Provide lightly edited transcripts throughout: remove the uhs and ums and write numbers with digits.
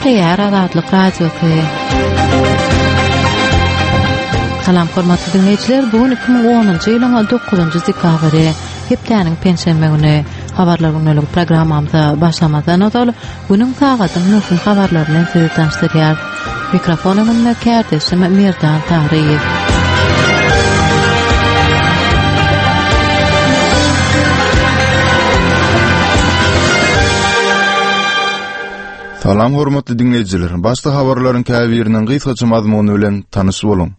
Gepleýär Azatlyk Radiosy. Salam hormatly diňleýjiler, bu gün 2010-njy ýylyň 9-njy dekabry, hepdäniň penşenbe güni. Habarlar gündelik programmamyza başlamazdan ozal, günüň sagadyň möhüm habarlary bilen sizi tanyşdyrýarys. Mikrofon öňünde kärdeşim Merdan Taryýew. Salam hormatly diňleýjiler. Başda habarlaryň käbiriniň gysgaça mazmuny bilen tanyş boluň.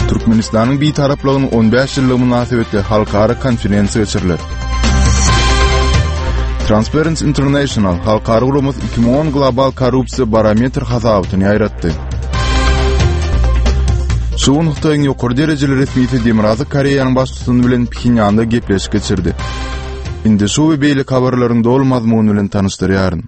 Türkmenistanyň Bitaraplygynyň 15 ýyllygy mynasybetli halkara konferensiýa geçiriler. Transparency International halkara guramasy 2010 global korrupsiýa barometr hasabatyny ýaýratdy. Şu gün Hytaýyň ýokary derejeli resmisi Demirgazyk Koreýanyň baştutany bilen Phenýanda gepleşik geçirdi. Indi şu we beýleki habarlaryň doly mazmuny bilen tanyşdyrýaryn.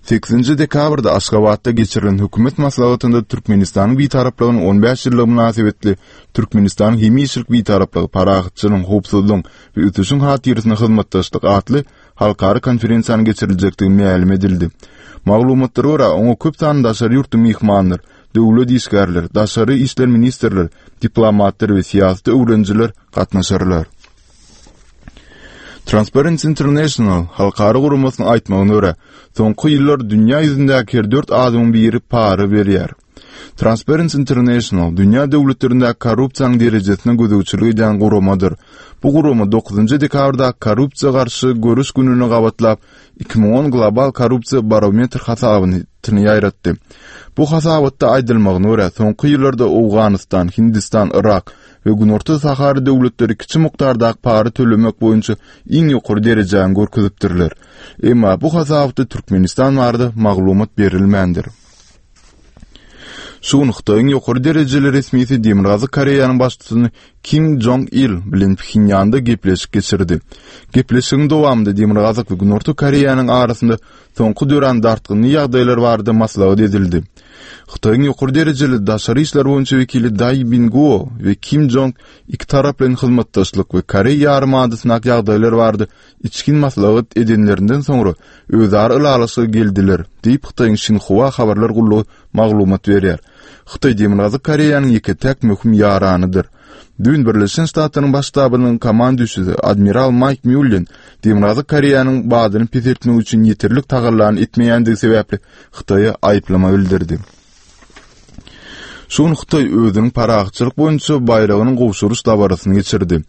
Sekizinji dekabrda Aşgabatda geçirilen hökümet maslahatynda Türkmenistanyň Bitaraplygynyň 15 ýyllygy mynasybetli Türkmenistanyň hemişelik Bitaraplygy parahatçylygyň, howpsuzlygyň we ösüşiň hatyrasyna hyzmatdaşlyk atly halkara konferensiýanyň geçiriljekdigi mälim edildi. Maglumatlara görä, oňa köp sanly daşary ýurtly myhmanlar, döwlet işgärleri, daşary işler ministrleri, diplomatlar we syýasaty öwrenijiler gatnaşarlar. Transparency International halkara guramasynyň aýtmagyna görä, soňky ýyllar dünýä ýüzündäki her dört adamyň biri para berýär. Transparency International dünýä döwletlerindäki korrupsiýanyň derejesine gözegçilik edýän guramadyr. Bu gurama dokuzynjy dekabrdaky korrupsiýa garşy göreş gününe gabatlap, 2010 global korrupsiýa barometr hasabyny ýaýratdy. Bu hasabatda aýdylmagyna görä, soňky ýyllarda Owganystan, Hindistan, Yrak we Günorta Sahara döwletleri kiçi mukdardaky para tölemek boýunça iň ýokary derejäni görkezipdirler. Emma bu hasabatda Türkmenistan barada maglumat berilmändir. Şu gün Hytaýyň ýokary derejeli resmisi Demirgazyk Koreýanyň baştutany Kim Jong Il bilen Phenýanda gepleşik geçirdi. Gepleşigiň dowamynda Demirgazyk we Günorta Koreýanyň arasynda soňky dörän dartgynly ýagdaýlar barada maslahat edildi. Hytaýyň ýokary derejeli daşary işler boýunça wekili Daý Binguo we Kim Jong ikitaraplaýyn hyzmatdaşlyk we Koreý ýarymadasyndaky ýagdaýlar barada içgin maslahat edenlerinden soňra özara ylalaşyga geldiler, diýip Hytaýyň Şinhua habarlar gullugy maglumat berýär. Hytaý Demirgazyk Koreýanyň ýeke-täk möhüm ýaranydyr. Düýn Birleşen Ştatlaryň Baş ştabynyň komanduşisi admiral Maýk Mýullen Demirgazyk Koreýanyň badyny peseltmek üçin ýeterlik tagallany etmeýändigi sebäpli Hytaýa aýyplama bildirdi. Şu gün Hytaý özüniň parahatçylyk boýunça baýragynyň gowşuryş dabarasyny geçirdi.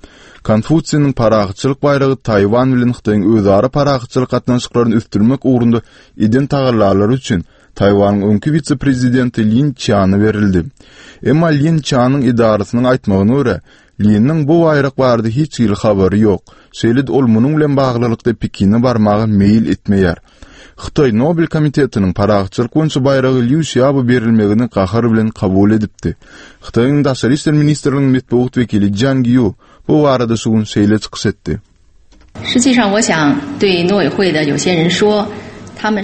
Konfusiniň parahatçylyk baýragy Taýwan bilen Hytaýyň özara parahatçylyk gatnaşyklaryny ösdürmek ugrunda eden tagallalary üçin Taýwanyň öňki wise-prezidenti Lin Çiana berildi. Emma Lin Çianyň edarasynyň aýtmagyna görä, Liniň bu baýrak barada hiç hili habary ýok. Şeýle-de ol munuň bilen baglylykda Pekine barmaga meýil etmeýär. Hytaý Nobel komitetiniň parahatçylyk boýunça baýragy Lýu Şiabo berilmegini gahar bilen kabul edipdi. Hytaýyň Daşary işler ministrliginiň metbugat wekili Jiang Ýu bu barada şu gün şeýle çykyş etdi.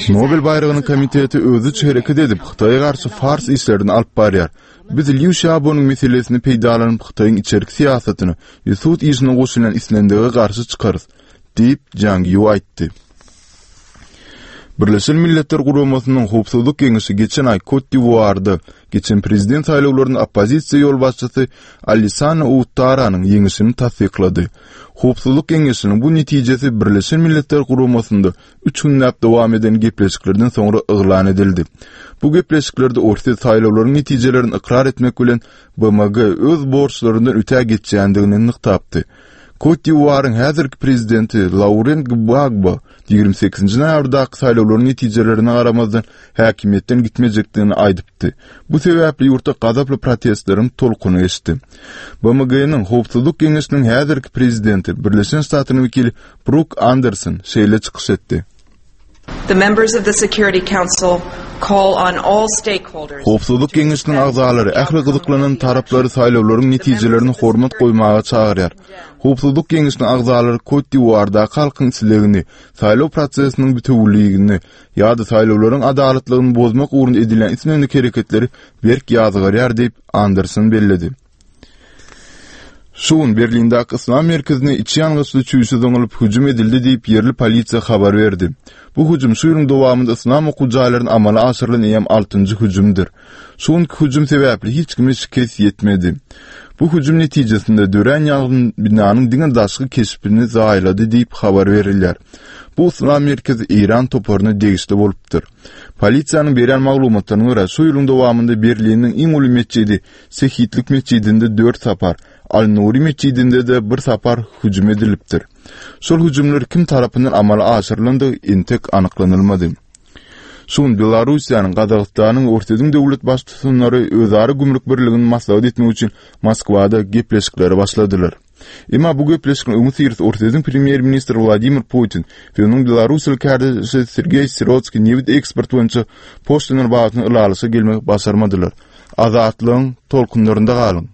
Nobel baýragynyň komiteti özüçe hereket edip, Hytaýa garşy fars işlerini alyp barýar. Biz Lýu Şiabonyň meselesini peýdalanyp, Hytaýyň içerki syýasatyna we sud işine goşulýan islendige garşy çykarys, diýip, Jiang Ýu aýtdy. Birleşen Milletler Guramasynyň Howpsuzlyk Geňeşi geçen aý Kot-d'Iwuarda geçen prezident saýlawlarynda oppozisiýa ýolbaşçysy Alissana Uattaranyň ýeňişini tassyklady. Howpsuzlyk Geňeşiniň bu netijesi Birleşen Milletler Guramasynda üç günläp dowam eden gepleşiklerden soňra yglan edildi. Bu gepleşiklerde Orsýet saýlawlaryň netijelerini ykrar etmek bilen BMG öz borçlaryndan öte geçýändigini nygtapdy. Kot-d'Iwuaryň häzirki prezidenti Lauren Gbagbo 28-nji noýabrdaky saýlawlaryň netijelerine garamazdan häkimiýetden gitmejekdigini aýdypdy. Bu sebäpli ýurtda gazaply protestleriň tolkuny geçdi. BMG-niň Howpsuzlyk Geňeşiniň häzirki prezidenti, Birleşen Ştatlaryň wekili Bruk Anderson şeýle çykyş etdi. Howpsuzlyk Geňeşiniň agzalary ähli gyzyklanan taraplary saýlawlaryň netijelerine hormat goýmaga çagyrýar. Howpsuzlyk Geňeşiniň agzalary Kot-d'Iwuardaky halkyň islegini, saýlaw prosesiniň bitewüligini ýa-da saýlawlaryň adalatlygyny bozmak ugrunda edilýän islendik hereketleri berk ýazgarýar diýip, Anderson belledi. Şu gün Berlindäki Yslam merkezine içi ýangyçly çüýşe zyňylyp hüjüm edildi diýip, ýerli polisiýa habar berdi. Bu hüjüm şu ýylyň dowamynda yslam okuw jaýlaryna amala aşyrylan eýýäm altynjy hüjümdir. Şu günki hüjüm sebäpli hiç kime şikes ýetmedi. Bu hüjüm netijesinde dörän ýangyn binanyň diňe daşky keşbini zaýalady diýip habar berilýär. Bu yslam merkezi Eýran toparyna degişli bolupdyr. Polisiýanyň berýän maglumatlaryna görä, şu ýylyň dowamynda Berliniň iň uly metjidi Şehitlik metjidinde dört sapar, Al-Nuri metjidinde-de bir sapar hüjüm edilipdir. Şol hüjümler kim tarapyndan amala aşyrylandygy entek anyklanylmady. Şu gün Belarussiýanyň, Gazagystanyň we Orsýetiň döwlet baştutanlary özara gümrük birligini maslahat etmek üçin Moskwada gepleşiklere başladylar. Emma bu gepleşigiň öňüsyrasy Orsýetiň premýer-ministri Wladimir Putin we onuň belarussiýaly kärdeşi Sergeý Sirotskiý nebit eksporty boýunça poşlinalar babatynda ylalaşyga gelmegi başarmadylar. Azatlygyň tolkunlarynda galyň!